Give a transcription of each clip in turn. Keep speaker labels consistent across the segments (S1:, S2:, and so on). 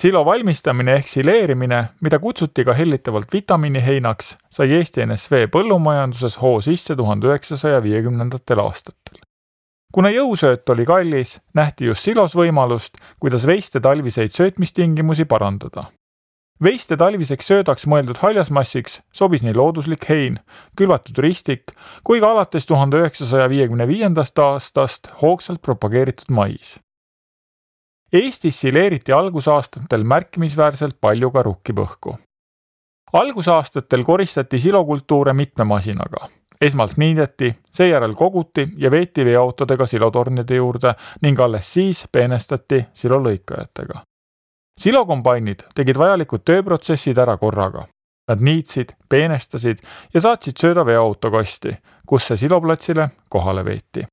S1: Silo valmistamine ehk sileerimine, mida kutsuti ka hellitavalt vitamiiniheinaks, sai Eesti NSV põllumajanduses hoo sisse 1950. aastatel. Kuna jõusööt oli kallis, nähti just silos võimalust, kuidas veiste talviseid söötmistingimusi parandada. Veiste talviseks söödaks mõeldud haljasmassiks sobis nii looduslik hein, külvatud ristik, kui ka alates 1955. aastast hoogsalt propageeritud mais. Eestis sileeriti algusaastatel märkimisväärselt palju ka rukkipõhku. Algusaastatel koristati silokultuure mitme masinaga. Esmalt niideti, seejärel koguti ja veeti veoautodega silotornide juurde ning alles siis peenestati silolõikajatega. Silokombainid tegid vajalikud tööprotsessid ära korraga. Nad niitsid, peenestasid ja saatsid sööda veoautokasti, kus see siloplatsile kohale veeti.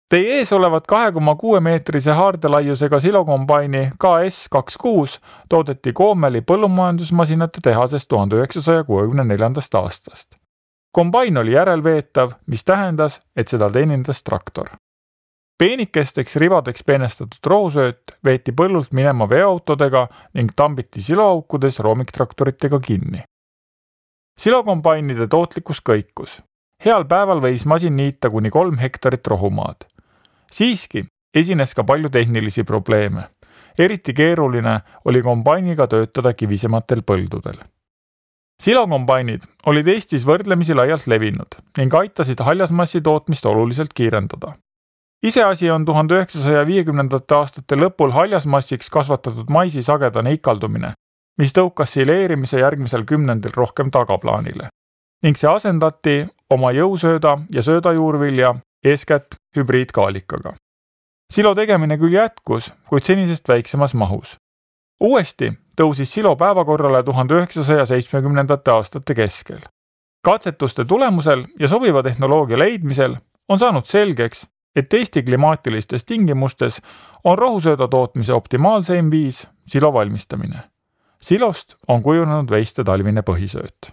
S1: Teie ees olevat 2,6 meetrise haardelaiusega silokombaini KS26 toodeti Koomeli põllumajandusmasinate tehases 1964. aastast. Kombain oli järelveetav, mis tähendas, et seda teenindas traktor. Peenikesteks ribadeks peenestatud rohusööt veeti põllult minema veoautodega ning tambiti siloaukudes roomiktraktoritega kinni. Silokombainide tootlikkus kõikus. Heal päeval võis masin niita kuni 3 hektarit rohumaad. Siiski esines ka palju tehnilisi probleeme. Eriti keeruline oli kombainiga töötada kivisematel põldudel. Silokombainid olid Eestis võrdlemisi laialt levinud ning aitasid haljasmassi tootmist oluliselt kiirendada. Iseasi on 1950. aastate lõpul haljasmassiks kasvatatud maisi sagedane ikaldumine, mis tõukas sileerimise järgmisel kümnendil rohkem tagaplaanile ning see asendati oma jõusööda ja söödajuurvilja eeskätt hübriidkaalikaga. Silo tegemine küll jätkus, kuid senisest väiksemas mahus. Uuesti tõusis silo päevakorrale 1970. aastate keskel. Katsetuste tulemusel ja sobiva tehnoloogia leidmisel on saanud selgeks, et Eesti klimaatilistes tingimustes on rohusööda tootmise optimaalseim viis silo valmistamine. Silost on kujunenud veiste talvine põhisööt.